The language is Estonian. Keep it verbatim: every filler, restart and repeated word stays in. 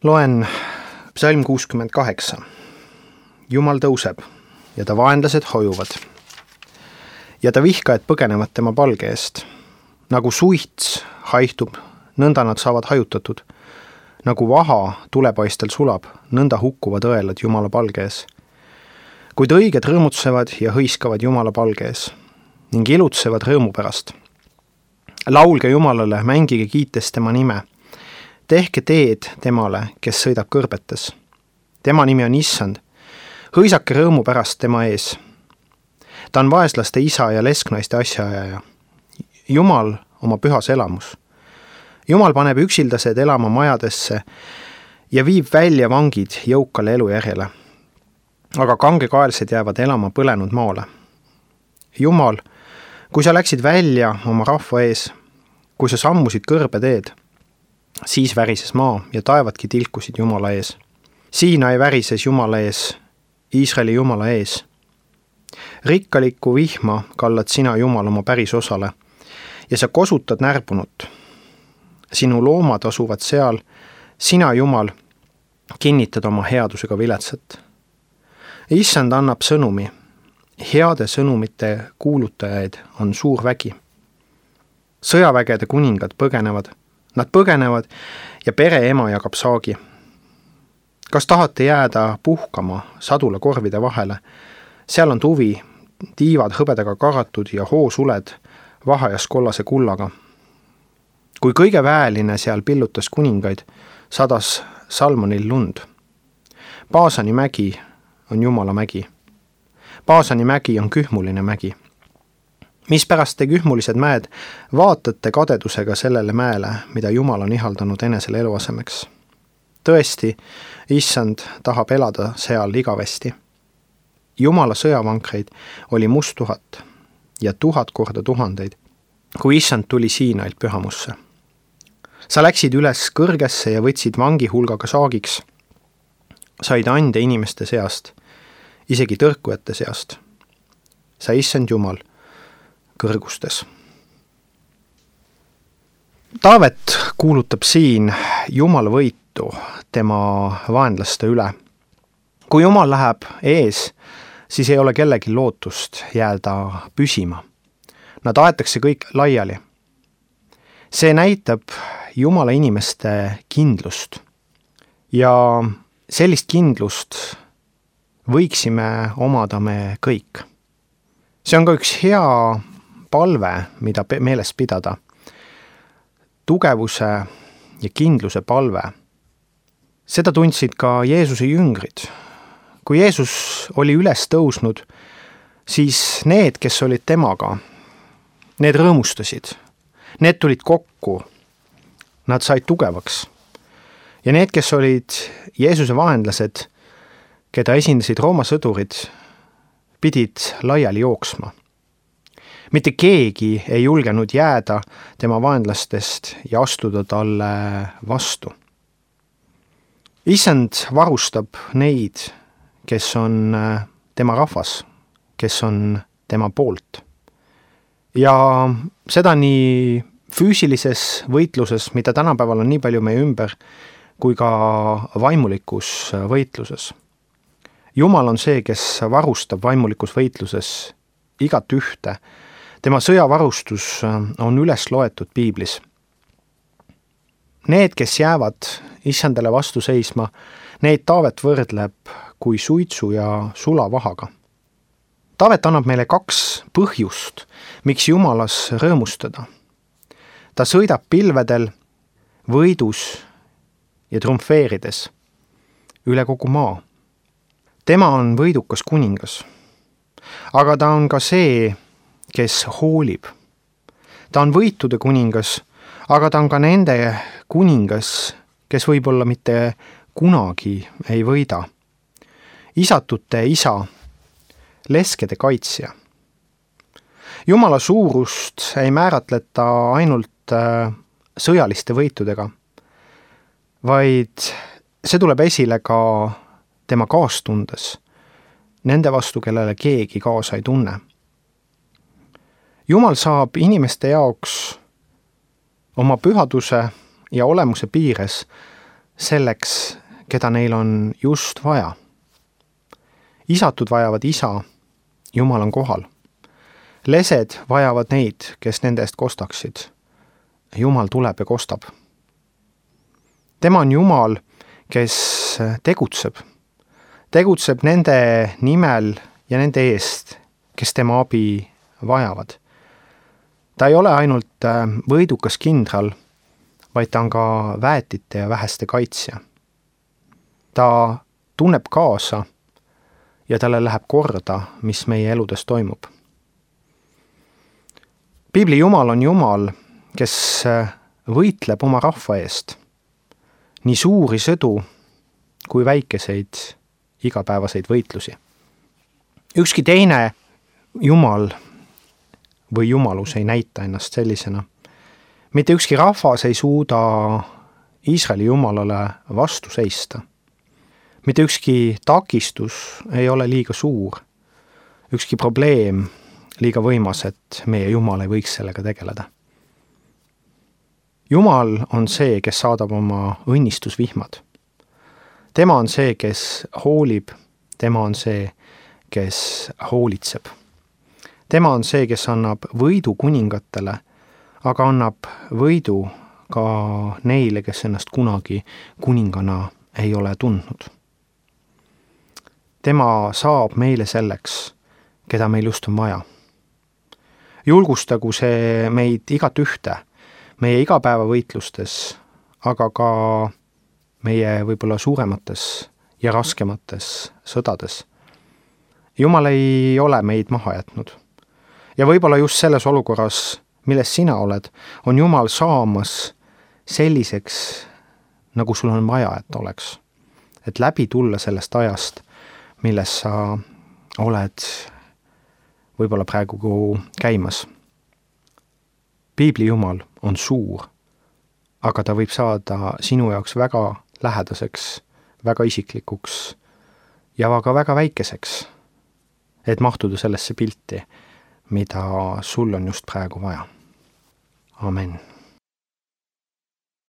Loen psalm kuuskümmend kaheksa. Jumal tõuseb ja ta vaenlased hojuvad. Ja ta vihkajad põgenevad tema palge eest. Nagu suits haihtub, nõnda nad saavad hajutatud. Nagu vaha tulepaistel sulab, nõnda hukkuvad õelad Jumala palge ees. Kuid õiged rõõmutsevad ja hõiskavad Jumala palge ees ning ilutsevad rõõmu pärast. Laulge Jumalale, mängige kiites tema nime. Tehke teed temale, kes sõidab kõrbetes. Tema nimi on Issand. Hõisake rõõmu pärast tema ees. Ta on vaeslaste isa ja lesknaiste asjaajaja. Jumal oma pühas elamus. Jumal paneb üksildased elama majadesse ja viib välja vangid jõukale elujärjele. Aga kangekaelsed jäävad elama põlenud maale. Jumal, kui sa läksid välja oma rahva ees, kui sa sammusid kõrbe teed, siis värises maa ja taevadki tilkusid Jumala ees. Siina ei värises Jumala ees, Iisraeli Jumala ees. Rikkaliku vihma kallad sina, Jumal, oma päris osale ja sa kosutad närbunut. Sinu loomad asuvad seal, sina, Jumal, kinnitad oma headusega viletsat. Issand annab sõnumi. Heade sõnumite kuulutajaid on suur vägi. Sõjavägede kuningad põgenevad. Nad põgenevad ja pere ema jagab saagi. Kas tahate jääda puhkama sadula korvide vahele? Seal on tuvi, tiivad hõbedaga karatud ja hoosuled vahajas kollase kullaga. Kui kõige väeline seal pillutas kuningaid, sadas Salmonil lund. Paasani mägi on Jumala mägi. Paasani mägi on kühmuline mägi. Mispärast te kühmulised mäed vaatate kadedusega sellele mäele, mida Jumal on ihaldanud enesele eluasemeks? Tõesti, Issand tahab elada seal igavesti. Jumala sõjavankreid oli must tuhat ja tuhat korda tuhandeid, kui Issand tuli Siinailt pühamusse. Sa läksid üles kõrgesse ja võtsid vangi hulgaga saagiks. Said ande inimeste seast, isegi tõrkujate seast. Sa Issand Jumal kõrgustes. Taavet kuulutab siin Jumala võitu tema vaenlaste üle. Kui Jumal läheb ees, siis ei ole kellegi lootust jääda püsima. Nad aetakse kõik laiali. See näitab Jumala inimeste kindlust. Ja sellist kindlust võiksime omada me kõik. See on ka üks hea palve, mida meeles pidada. Tugevuse ja kindluse palve. Seda tundsid ka Jeesuse jüngrid. Kui Jeesus oli üles tõusnud, siis need, kes olid temaga, need rõõmustasid. Need tulid kokku. Nad said tugevaks. Ja need, kes olid Jeesuse vaenlased, keda esindasid Rooma sõdurid, pidid laiali jooksma. Mitte keegi ei julgenud jääda tema vaenlastest ja astuda talle vastu. Issand varustab neid, kes on tema rahvas, kes on tema poolt. Ja seda nii füüsilises võitluses, mida tänapäeval on nii palju meie ümber, kui ka vaimulikus võitluses. Jumal on see, kes varustab vaimulikus võitluses igat ühte. Tema sõjavarustus on üles loetud piiblis. Need, kes jäävad Issandale vastu seisma, neid Taavet võrdleb kui suitsu ja sulavahaga. Taavet annab meile kaks põhjust, miks Jumalas rõõmustada. Ta sõidab pilvedel, võidus ja triumfeerides üle kogu maa. Tema on võidukas kuningas, aga ta on ka see, kes hoolib. Ta on võitude kuningas, aga ta on ka nende kuningas, kes võib-olla mitte kunagi ei võida. Isatute isa, leskede kaitsja. Jumala suurust ei määratleta ainult sõjaliste võitudega, vaid see tuleb esile ka tema kaastundes, nende vastu, kellele keegi kaasa ei tunne. Jumal saab inimeste jaoks oma pühaduse ja olemuse piires selleks, keda neil on just vaja. Isatud vajavad isa, Jumal on kohal. Lesed vajavad neid, kes nende eest kostaksid. Jumal tuleb ja kostab. Tema on Jumal, kes tegutseb. Tegutseb nende nimel ja nende eest, kes tema abi vajavad. Ta ei ole ainult võidukas kindral, vaid ta on ka väetite ja väheste kaitsja. Ta tunneb kaasa ja talle läheb korda, mis meie eludes toimub. Piibli Jumal on Jumal, kes võitleb oma rahva eest. Nii suuri sõdu kui väikeseid igapäevaseid võitlusi. Ükski teine Jumal või Jumalus ei näita ennast sellisena. Mitte ükski rahvas ei suuda Iisraeli Jumalale vastu seista. Mitte ükski takistus ei ole liiga suur. Ükski probleem liiga võimas, et meie Jumal ei võiks sellega tegeleda. Jumal on see, kes saadab oma õnnistusvihmad. Tema on see, kes hoolib, tema on see, kes hoolitseb. Tema on see, kes annab võidu kuningatele, aga annab võidu ka neile, kes ennast kunagi kuningana ei ole tundnud. Tema saab meile selleks, keda meil just on vaja. Julgustagu see meid igat ühte, meie igapäevavõitlustes, aga ka meie võib-olla suuremates ja raskemates sõdades. Jumal ei ole meid maha jätnud. Ja võib-olla just selles olukorras, milles sina oled, on Jumal saamas selliseks, nagu sul on vaja, et oleks. Et läbi tulla sellest ajast, milles sa oled võib-olla praegu käimas. Piibli Jumal on suur, aga ta võib saada sinu jaoks väga lähedaseks, väga isiklikuks ja ka väga väikeseks, et mahtuda sellesse pilti, mida sul on just praegu vaja. Amen.